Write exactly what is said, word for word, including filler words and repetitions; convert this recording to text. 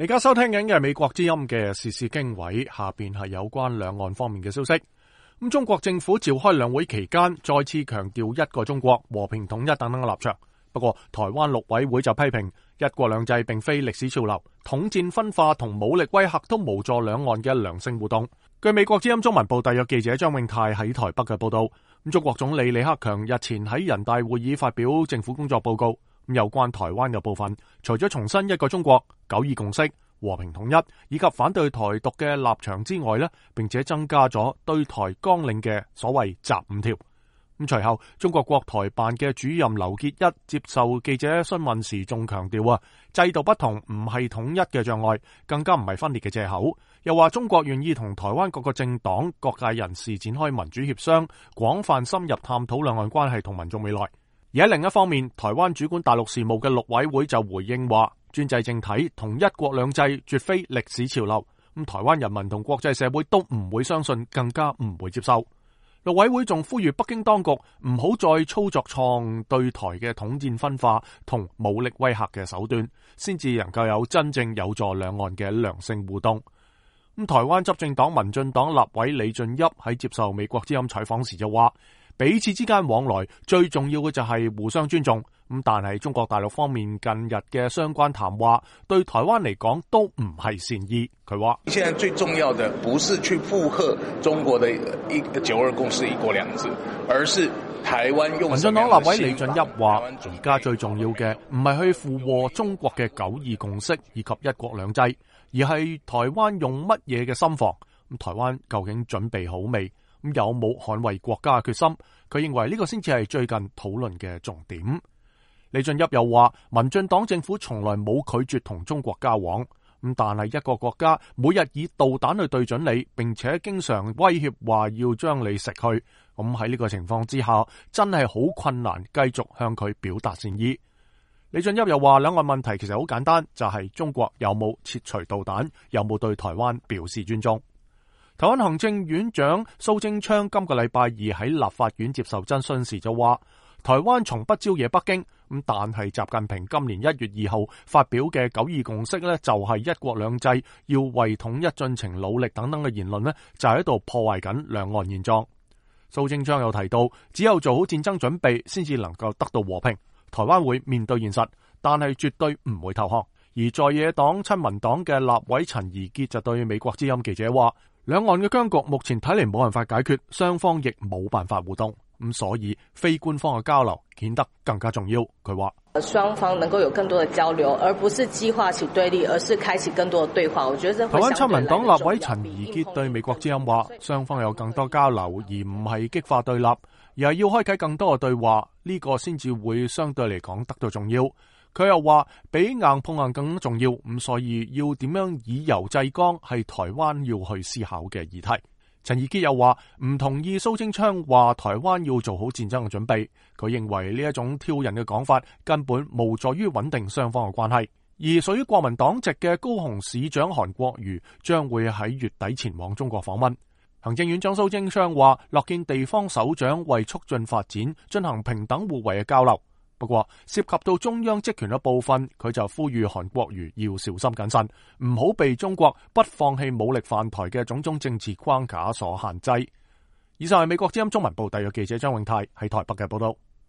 而家收聽緊嘅係美國之音嘅時事經緯，下邊係有關兩岸方面嘅消息。咁中國政府召開兩會期間，再次強調一個中國、和平統一等等嘅立場。不過，台灣陸委會就批評一國兩制並非歷史潮流，統戰分化同武力威嚇都無助兩岸嘅良性互動。據美國之音中文部特約記者張永泰喺台北嘅報道，咁中國總理李克強日前喺人大會議發表政府工作報告。有關台灣嘅部分，除咗重申一個中國、九二共識、和平統一以及反對台獨嘅立場之外呢，並且增加咗對台綱領嘅所謂集五條。咁隨後，中國國台辦嘅主任劉結一接受記者詢問時，仲強調啊，制度不同唔係統一嘅障礙，更加唔係分裂嘅借口。又話中國願意同台灣各個政黨、各界人士展開民主協商，廣泛深入探討兩岸關係同民眾未來。而喺另一方面，台灣主管大陸事務嘅陸委會就回應話，專制政體同一國兩制絕非歷史潮流，咁台灣人民同國際社會都唔會相信，更加唔會接受。陸委會仲呼籲北京當局唔好再操作錯誤對台嘅統戰分化同武力威嚇嘅手段，先至能夠有真正有助兩岸嘅良性互動。咁台灣執政黨民進黨立委李俊俋喺接受美國之音採訪時就話，彼此之間往來最重要嘅就係互相尊重，咁但係中國大陸方面近日嘅相關談話對台灣嚟講都唔係善意。佢話現在最重要的不是去附和中國的一九二共識一國兩制，而是台灣用。民進黨立委李俊俋話，而家最重要嘅唔係去附和中國嘅九二共識以及一國兩制，而係台灣用乜嘢嘅心防，咁台灣究竟準備好未？咁有冇捍衛國家嘅決心？佢認為呢個先至係最近討論嘅重點。李俊俋又話，民進黨政府從來冇拒絕同中國交往，咁但係一個國家每日以導彈去對準你，並且經常威脅話要將你食去，咁喺呢個情況之下，真係好困難繼續向佢表達善意。李俊俋又話，兩岸問題其實好簡單，就係、是、中國有冇撤除導彈，有冇對台灣表示尊重。台灣行政院長蘇貞昌今個禮拜二喺立法院接受質詢時就話，台灣從不招惹北京，咁但係習近平今年一月二號發表嘅九二共識呢，就係一國兩制要為統一進程努力等等嘅言論呢，就喺度破壞緊兩岸現狀。蘇貞昌又提到，只有做好戰爭準備，先至能夠得到和平。台灣會面對現實，但係絕對唔會投降。而在野黨親民黨嘅立委陳怡潔就對美國之音記者話，兩岸嘅僵局目前睇嚟冇辦法解決，雙方亦冇辦法互動，咁所以非官方嘅交流顯得更加重要。佢話雙方能夠有更多的交流，而不是激化起對立，而是開啟更多的對話。我覺得台灣親民黨立委陳怡潔對美國之音話，雙方有更多交流，而唔係激化對立，而係要開啟更多嘅對話，呢個先至會相對嚟講得到重要。佢又話，比硬碰硬更重要，咁所以要點樣以柔制剛係台灣要去思考嘅議題。陳怡潔又話唔同意蘇貞昌話台灣要做好戰爭嘅準備，佢認為呢一種挑釁嘅講法根本無助於穩定雙方嘅關係。而屬於國民黨籍嘅高雄市長韓國瑜將會喺月底前往中國訪問。行政院長蘇貞昌話樂見地方首長為促進發展進行平等互惠嘅交流。不過涉及到中央職權嘅部分，佢就呼籲韓國瑜要小心謹慎，唔好被中國不放棄武力犯台嘅種種政治框架所限制。以上係美國之音中文部特約記者張永泰喺台北嘅報道。